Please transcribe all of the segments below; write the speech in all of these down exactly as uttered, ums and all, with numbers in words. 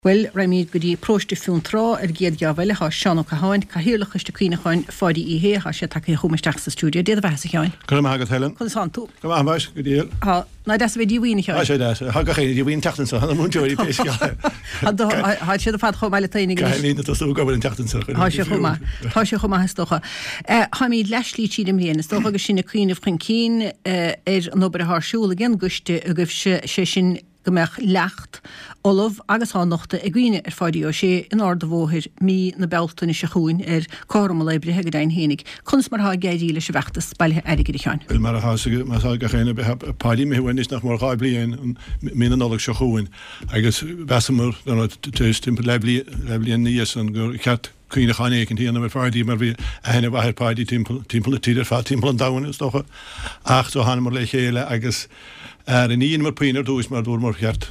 Bhuel, raghaimid go dtí Paróiste Fionntrá ar an gcéad gheábh eile. Tá Seán Ó Catháin, Cathaoirleach Choiste Cuimhneacháin Pháidí Uí Shé, tá sé tagtha chugam isteach sa stiúideo. Dé do bheatha, a Sheáin. Go raibh maith agat, Helen. Conas tánn tú? Go maith, muis, go diail. Tá. Ná deas a bheith díomhaoin, a Sheáin? Tá sé deas. Tá gach éinne díomhaoin an tseachtain seo, tá na múinteoirí pé scéal é. Tá siad ar fad chomh maith le taoineach anois. Caithfidh daoine tosú ag obair an tseachtain seo. Tá sé chomh maith. Tá sé chomh maith is dócha. Táimid leathshlí tríd an mbliain. Is dócha agus sinn ag cuimhneamh chun cinn ar an obair atá ar siúl ag an gcoiste agaibhse, sé sin go mbeadh leacht ullamh agus á nochtadh ag cuimhne ar Pháidí Ó Sé in Ard an Bhóthair mí na Bealtaine seo chugainn ar cothrom an lae breithe go deimhin fhéinig. Conas mar atá ag éirí leis an bhfeachtas bailithe airgid, a Sheáin? Bhuel, mar atá mar atá gach éinne, beidh Páidí imithe uainn anois nach mór dhá bhliain mí na Nollag seo chugainn agus mheasamar, tar éis timpeall leathbhliain ina dhiaidh san, gur cheart cuimhneachán éicint a dhéanamh ar Pháidí mar bhí aithne mhaith ar Pháidí timpeall, timpeall na tíre ar fad, timpeall an domhain is dócha. Ach so thánamar le chéile agus ar ní dheineamar puinn ar dtús mar dúramar cheart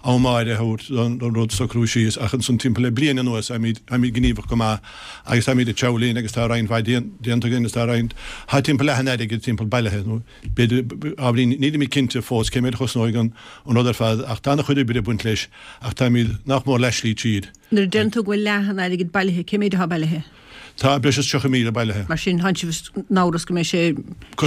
am áirithe a thabhairt don, don rud socrú síos ach ansan timpeall le bliain anuas táimid, táimid gníomhach go maith agus táimid ag treabhadh linn agus tá roinnt mhaith déan, déanta againn agus tá roinnt, tá timpeall leath an airgid timpeall bailithe nó b'fhéidir ábhairín, nílimid cinnte fós cé méid a chosnóidh an, an rud ar fad ach tá ana chuid oibre ag baint leis ach táimid nach mór leathshlí tríd. Nuair a deireann tú go bhfuil leath an airgid bailithe, cé méid atá bailithe? Tá breis is tríocha míle bailithe. Mar sin, tánn sibh in amhras go mbeidh sé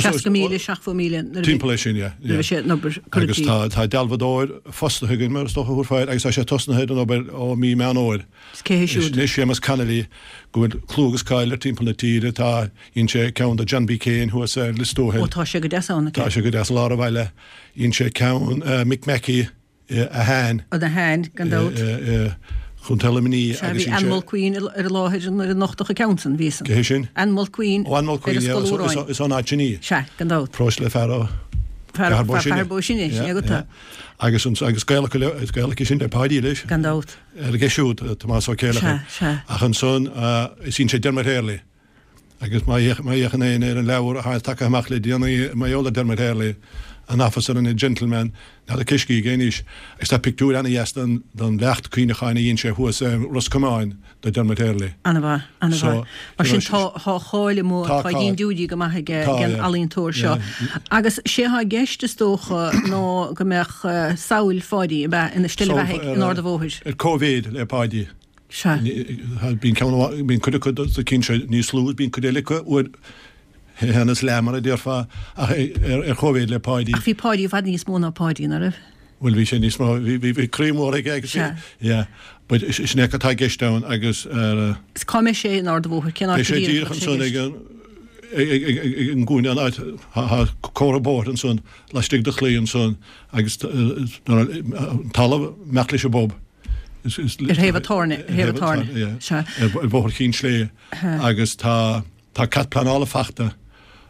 seasca míle, seachtó míle nuair a bheidh Timpeall é sin, yeah, yeah. nuair a bheidh sé an obair curtha Agus i tá, gcrích. tá dealbhadóir fostaithe againn, mar is dócha a thabharfá air, agus tá sé tosnaithe ar an obair ó mí Meán Fhómhair. Is cé hé siúd? Sin é Séamus Connolly, go bhfuil clú agus cáil air timpeall na tíre. Tá, dhein sé ceann do John B. Keane thuas ar Lios Tuathail. Ó, tá sé go deas ann, Tá sé go deas i lár an bhaile. Dhein sé ceann Mick Mackey, Ahane. An Ahane, gan dabht. Chontae Luimnigh Sea, bhí Ann Mulqueen ar an láthair nuair a nochtadh an ceann san, bhí san. Cé hé sin? Ann Mulqueen. Ó, Ann Mulqueen, ar an Scoil Mhóráin. Is ón áit sin í. Sea, gan dabht. Paróiste le fear ó Fear Chathair Bó Sine, sin é agat é. Agus agus gaol acu le, is gaol aici sin le Páidí leis. Gan dabht. Ar aige siúd, Tomás Ó Céileachair. Sea, sea. Ach ansan, is dhein sé Dermot Hurley. Agus má fhéachann éinne ar an leabhar atá tagtha amach le déanaí mar gheall ar Dermot Hurley, An Officer and a Gentleman, n'fheadar cé scrígh é anois, agus tá pictiúr ana-dheas den leacht cuimhneacháin a dhein sé thuas i Ros Comáin do Dermot Hurley. Ana-mhaith, ana-mhaith. Mar sin tá tá cáil amuigh, tá dindiúirí go maith ag an ealaíontóir seo. Agus sé atá i gceist is dócha ná go mbeadh samhail Pháidí, ab ea, ina steillebheathaidh in Ard an Bhóthair. Ar cóimhéid le Páidí. Sea. Bíonn ceann amháin, bíonn cuid acu dos na cinn seo níos lú, bíonn cuid eile acu uair a haon is leath mar a déarfá, ach ar chóimhéid le Páidí. Ach bhí Páidí i bhfad níos mó ná Páidí, ná raibh? Bhuel, bhí sé níos mó, bhí, bhí, bhí croí mór aige agus bhí, Sea. yeah. But sin é atá i gceist ann agus ar. Is cá mbeidh sé in Ard an Bhóthair? Cén áit Beidh sé go díreach díreach atá sé i ansan gceist? ag an, ag, ag, ag, ag an gcúinne, an áit, tá comhartha bóthair ansan, laistigh de chlaí ansan agus an talamh imeacht leis an bpub. Ar thaobh an tábhairne, ar thaobh an tábhairne, sea. Ar Bhóthar Chinn Sléibhe agus tá tá cead pleanála fachta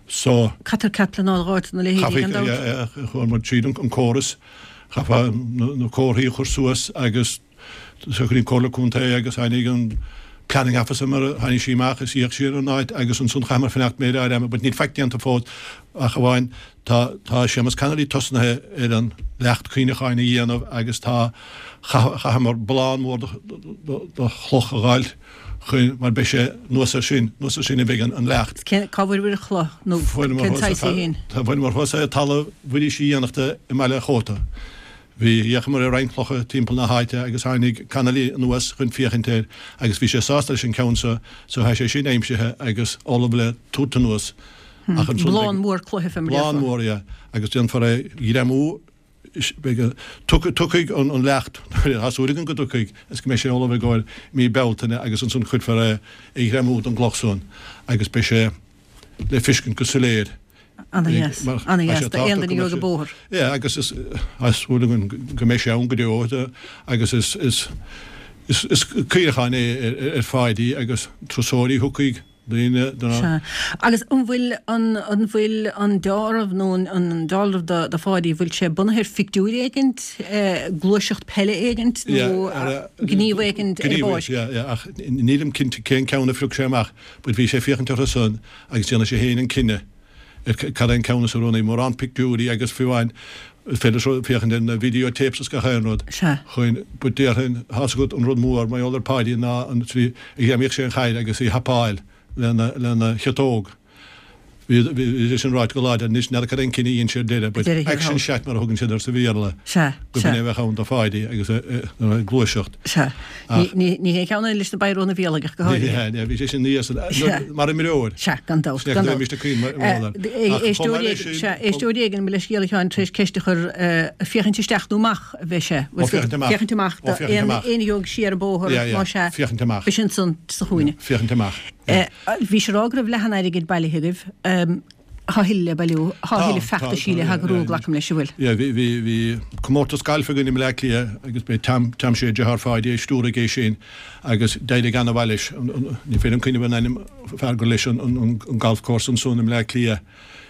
so. Caithfear cead pleanála a dh'fháilt do na leithéidí gan dabht. Chaithfear, chuaigh muid tríd an córas, chaithfeá na comharthaí a chur suas agus shocraigh an Comhairle Contae agus tháinig an planning officer mar a tháinig sí amach is d'fhéach sí ar an áit agus ansan chaitheamar fanacht méid áirithe ama but níl faic déanta fós ach amháin Tá tá Séamus Connolly tosnaithe ar an leacht cuimhneacháin a dhéanamh agus tá chaitheamar bullán mór de chloch a dh'fháilt chuin mar beidh sé anuas ar sin anuas ar sin a bheidh an leacht. Cén cá bhfuair an chloch nó cén saghas í féin? Tá fuaireamar thuas é talamh Mhuiris Uí Fhiannachta i mBaile an Chóta. Bhí fhéachamar ar roinnt clocha timpeall na háite agus tháinig Connolly anuas chun féachaint air agus bhí sé sásta leis an ceann seo so tá sé sin aimsithe agus ullamh le tabhairt anuas. Ach ansan Bullán mór cloiche fé mar Bullán déarfá. mór, yeah. Agus déanfar é a ghreamú, beidh, tiocfaidh an leacht, tá súil againn go dtiocfaidh, is go mbeidh sé ullamh i gcomhair mí Bealtaine agus ansan cuirfear é a ghreamú don gcloch san agus beidh sé le feiscint go soiléir. Ana-dheas, ana-dheas d'aon duine a gheobhaidh an bóthar. Yeah, agus is, tá súil againn go mbeidh sé ann go deo agus is, is, is, is cuimhneachán é ar Pháidí agus turasóirí a thiocfaidh. Daoine do na. Sea. Agus an bhfuil an, an bhfuil an deáramh nó an, an dealramh do, do Pháidí, bhfuil sé bunaithe ar phictiúr éigint, gluaiseacht peile éigint nó gníomh éigint ar an bpáirc? Yeah, yeah, ach nílim cinnte cén ceann a phrioc sé amach, but bhí sé ag féachaint orthu san agus déanfaidh sé féin an cinneadh ar cad é an ceann is oiriúnaí. Mórán pictiúirí agus fiú amháin is féidir féachaint ar na video tapes is gach aon rud Sea. chun, but déarfainn, tá's agat an rud mór mar gheall ar Pháidí ná an tslí a ghreamaíodh sé an chaid agus í a thapáil lena, lena chiotóg. Bhí bhí sin ráite go láidir anois n'fheadar cad é an cinneadh a dhein siad deireadh but action chat mar a thugann siad air sa Bhéarla. Sea, Go sea. b'in é a bheadh ann do Pháidí agus ag gluaiseacht. Sea. Ach. Ní ní hé ceann eile leis na Byrona Bhéalaigh ach go Ní háirithe. hea, ní hea, bhí sé sin níos Sea. mar imreoir. Sea, gan dabht, Sea, gan go dabht. mbímis ag caoin mar Eh, Ach chomh maith leis sin, Éisteoir éigin, éisteoir éigin mo leithscéal a Sheáin tar éis ceist a chur eh, féachaint isteach nó amach a bheidh sé. Ó, féachaint amach. Féachaint amach Ó, féachaint amach. Aon gheobhaidh siar an bóthar Yeah, yeah, má sea. féachaint amach. B'shin san sa chúinne. Féachaint amach. Eh, Bhí sé rá go raibh leath an airgid bailithe agaibh. Tá a thuilleadh le bailiú, tá a thuilleadh feachtaisí le heagrú, glacaim leis an bhfuil. Yeah, bhí bhí bhí comórtas gailf againn i mBleá Cliath agus b'é Tom Tom Shea deartháir Pháidí a stiúraigh é sin agus d'éirigh ana-mhaith leis. Ní féidir liom cuimhneamh ar an ainm fear gur leis an an an golf course ansan i mBleá Cliath.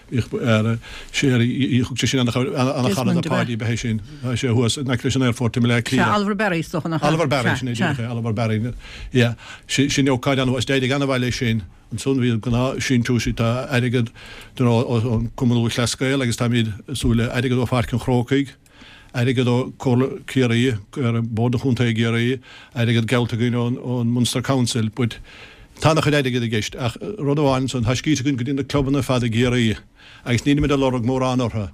Bhíodh sé thug sé sin ana-chara do Pháidí ba é sin. Tá sé thuas in aice leis an aerfort i mBleá Cliath. Sea, Oliver Barry is dócha nach ea? Oliver Barry, sin é díreach é, Oliver Barry. Yeah, sin ócáid an-mhaith, d'éirigh ana-mhaith leis sin. Ansan bhí gnáth síntiúis, tá airgead ón Cumann Lúthchleas Gael agus táimid ag súil le airgead ó Pháirc an Chrócaigh, airgead ó Comhairle Ciarraí, Bord an Chontae i gCiarraí, airgead geallta againn ón Munster Council but tá ana-chuid airgid i gceist ach rud amháin ansan, tá scríte againn go dtí na clubanna ar fad i gCiarraí agus nílimid ag lorg mórán orthu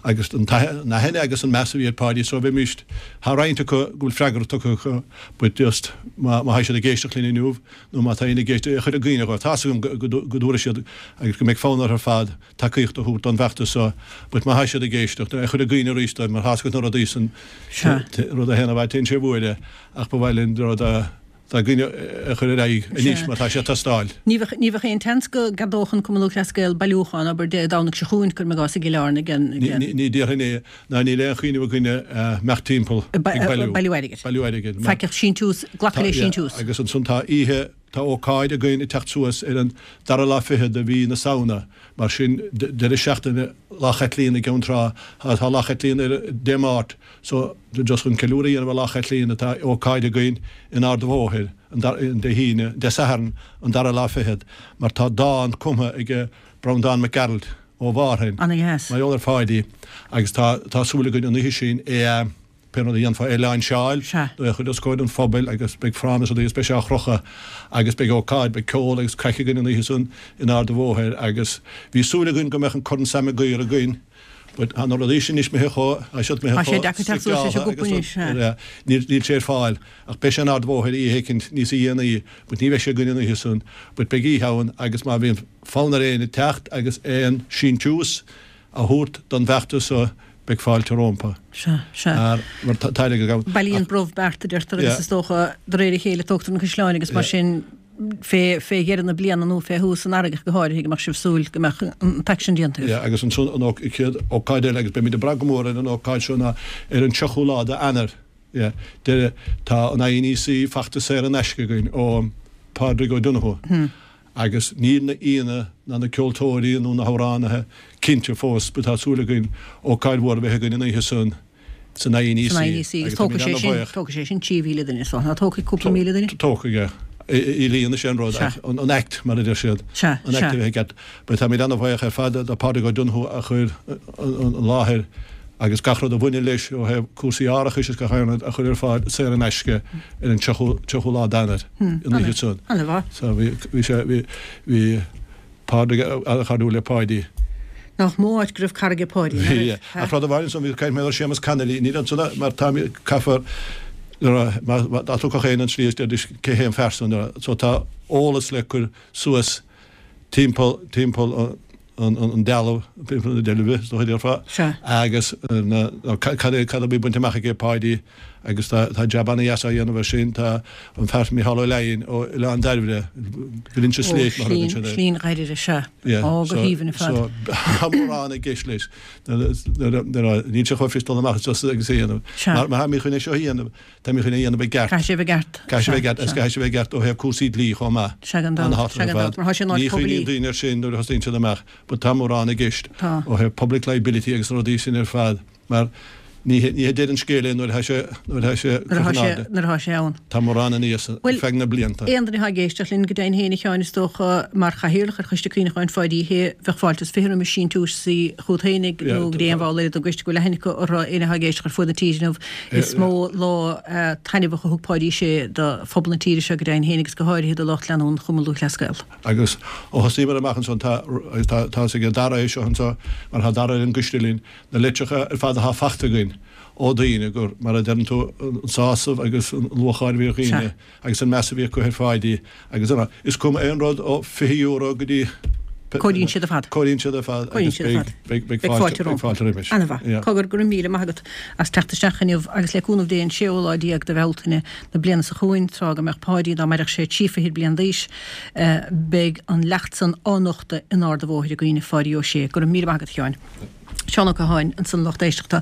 agus an aithne agus an meas a bhí ar Pháidí so bheimis, tá roinnt acu go bhfuil freagra tugtha acu but just má tá siad ag éisteacht linn inniu nó má tá éinne ag éisteacht, a chur i gcuimhne dhóibh, tá's agam go dtabharfaidh siad agus go mbeidh fonn orthu ar fad tacaíocht a thabhairt don bhfeachtas seo but má tá siad ag éisteacht, a chur i gcuimhne arís dóibh mar tá's agat na rudaí san, rud a théann i bhfad téann sé i bhfuaire ach ba mhaith linn rud a dá gcuimhne a chur ar aghaidh anois mar tá sé ag teastáil. Ní bheadh ní bheadh aon tseans go gceadódh an Cumann Lúthchleas Gael bailiúchán, abair, Dé Domhnaigh seo chugainn, cuirim i gcás, i gCill Airne ag an Ní ní déarfainn é ná níl aon chuimhneamh againne imeacht timpeall ag bailiú. Bailiú airgid. Bailiú airgid. Faic ach síntiús, glacadh le síntiús. Agus ansan tá oíche, tá ócáid againn ag teacht suas ar an dara lá fichead de mhí na Samhna, mar sin deireadh seachtaine Lá Chaitlíona i gCeann Trá, tá Lá Chaitlíona ar Dé Máirt, So, just chun ceiliúradh a dhéanamh ar Lá Chaitlíona, tá ócáid againn in Ard a' Bhóthair an Dé hAoine, Dé Sathairn, an dara lá fichead, mar tá dán cumtha ag Breandán Mac Gearailt ó Mhárthain, Ana-dheas. mar gheall ar Pháidí, agus tá tá súil againn an oíche sin é a, pé rud a dhéanfá, é a lainseáil, Sea. nó é a chur os comhair an phobail agus beidh fráma is rudaí agus beidh sé á chrochadh agus beidh ócáid, beidh ceol agus craic againn an oíche san in Ard a' Bhóthair agus bhí súil againn go mbeadh an Corn Sam Maguire againn, But tá na rudaí sin anois imithe chomh, tá siad imithe Tá sé chomh deacair teacht suas leis an gcupa anois, suas, yeah. Níl, níl sé ar fáil. Ach beidh sé in Ard a' Bhóthair oíche éicint níosa dhéanaí, but ní bheidh sé againn an oíche san. But beidh oíche ann agus má bhíonn fonn ar éinne teacht agus aon síntiús a thabhairt don bhfeachtas so, beidh fáilte rómpa. Sea, sea. Ar, mar tá, tá airgead agam. Bailíonn brobh beart, a deirtear, agus Yeah. is dócha de réir a chéile tógtar na caisleáin agus mar Yeah. sin fé dheireadh na bliana nó fé thús an earraigh go háirithe go mbeadh sibh súil go mbeadh an t-aicsean déanta agaibh. Yeah, agus ansan an chéad ócáid eile agus beimid ag brath go mór ar an ócáid seo ná ar an tríochú lá d'Eanáir. Yeah, deireadh, tá an INEC feachtas saor in aisce againn ó Pádraig O'Donoghue. Hmm. Agus níl na aíonna ná na ceoltóirí nó na hamhránaithe cinnte fós, but tá súil againn ócáid mhór a bheith againn an oíche san. San INEC. San INEC, agus tógfaidh sé sin, tógfaidh sé sin trí mhíle duine, so ná tógfaidh cúpla míle duine? Tógfaidh, yeah. I líon is é an rud, ach an act, mar a deir siad, an act a bheith i gceart. But táimid an-bhuíoch ar fad do Pádraig O'Donoghue a chuir an láthair agus gach rud a bhaineann leis ó thaobh cúrsaí árachais is gach aon rud a chur ar fáil saor in aisce ar an tríochú lá d'Eanáir, an oíche san. An-mhaith. So bhí, bhí sé, bhí, bhí Pádraig an-chairdiúil le Páidí. Nach mó áit go raibh cara ag Páidí, nach raibh? Ach rud amháin ansan, bhí caint mé ar Séamus Connolly, níl ansan mar tá, caithfear, nuair a, má, dá dtiocfadh éinne an tslí is deiridís cé hé an fear san, nuair a, so tá eolas le cur suas timpeall, timpeall an, an, an dealbh, timpeall na deilbhe, is dócha a déarfá, agus na, cad é, cad a bhí bainte amach aige Páidí agus tá, tá jab ana-dheas á dhéanamh air sin, tá an fear Mícheál Ó Leidhin ó Oileán Dairbhre, Grinse Ó, Slate mar a thugann Slín, siad air. Slín Dhairbhre, sea. Yeah, Ó, go so, haoibhinn ar fad. so, tá mórán i gceist leis. Nuair a, nuair a, níl sé chomh fuirist dul amach just agus é a dhéanamh. Sea. Mar, mar táimid chun é seo a dhéanamh, táimid chun é a dhéanamh i gceart. Caithfidh sé a bheith i gceart. Caithfidh sé a bheith i Sea, gceart, agus sea. caithfidh sé a bheith i gceart ó thaobh cúrsaí dlí chomh maith. Sea, gan dabht, An-thábhachtach sea, ar gan dabht, fad. mar tá sé in áit Ní poiblí. chuimhníonn daoine air sin nuair a thosaíonn siad amach, but tá mórán i gceist Tá. ó thaobh public liability agus na rudaí sin ar fad, mar Ní hé deireadh an scéil é nuair atá sé nuair atá sé Nuair atá sé nuair atá sé ann. Tá mórán aníos ar feadh na blianta. Aon duine atá ag éisteacht linn, go deimhin féin, a Sheáin, is dócha, mar chathaoirleach ar Choiste Cuimhneacháin Pháidí Uí Shé, bheadh fáilte is fiche roimis síntiúsaí chugat féinig nó go dtí aon bhall eile den gcoiste go bhfuil aithne acu orthu, éinne atá ag éisteacht ar fuaid na tíre inniu. Is mó lá taitneamhach a thug Páidí Ó Sé do phobal na tíre seo go deimhin féin agus go háirithe do lucht leanúna Chumann Lúthchleas Gael. Agus ó thosaíomar amach ansan tá agus tá tá 'fhios ag Dara é seo anseo mar tá Dara ar an gcoiste linn, na litreacha ar fad atá fachta againn ó dhaoine gur, mar a deireann tú, an sásamh agus an lúcháir a bhí ar dhaoine agus an meas a bhí acu ar Pháidí agus an, is cuma aon rud ó fiche euro go dtí Cóiríonn siad ar fad. Cóiríonn siad ar fad agus beidh, beidh fáilte rompu. Beidh fáilte roimis. Ana-mhaith. Cogar, go raibh míle maith agat as teacht isteach inniu agus le cúnamh Dé an séú lá déag de Bhealtaine na bliana seo chugainn, tráth go mbeadh Páidí, dá mairfeadh sé, trí fichid bliain d'aois, beidh an leacht san á nochtadh in Ard a' Bhóthair i gcuimhne Pháidí Ó Sé. Go raibh míle maith agat, a Sheáin. Seán Ó Catháin ansan, lucht éisteachta.